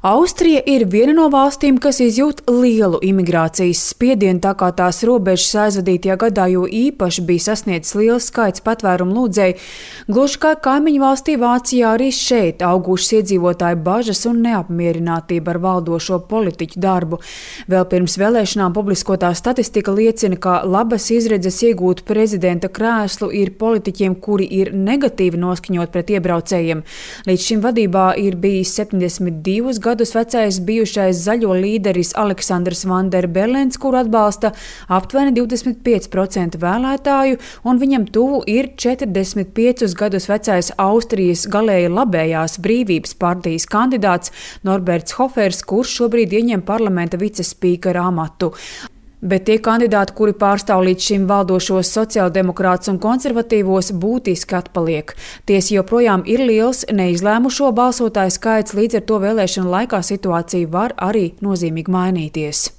Austrija ir viena no valstīm, kas izjūt lielu imigrācijas spiedienu, tā kā tās robežas aizvadītajā gadā jo īpaši bija sasniedzis liels skaits patvērumu lūdzēju. Gluži kā kaimiņu valstī Vācijā, arī šeit augušas iedzīvotāju bažas un neapmierinātība ar valdošo politiķu darbu. Vēl pirms vēlēšanām publiskotā statistika liecina, ka labas izredzes iegūt prezidenta krēslu ir politiķiem, kuri ir negatīvi noskaņot pret iebraucējiem. Līdz šim vadībā ir bijis 72 gadus vecais bijušais zaļo līderis Aleksandrs Van der Bellens, kuru atbalsta aptuveni 25% vēlētāju, un viņam tuvu ir 45 gadus vecais Austrijas galēji labējās Brīvības partijas kandidāts Norberts Hofers, kurš šobrīd ieņem parlamenta vicespīkera amatu. Bet tie kandidāti, kuri pārstāv līdz šim valdošos sociāldemokrātus un konservatīvos, būtiski atpaliek. Tiesa joprojām ir liels neizlēmušo balsotāju skaits, līdz ar to vēlēšanu laikā situācija var arī nozīmīgi mainīties.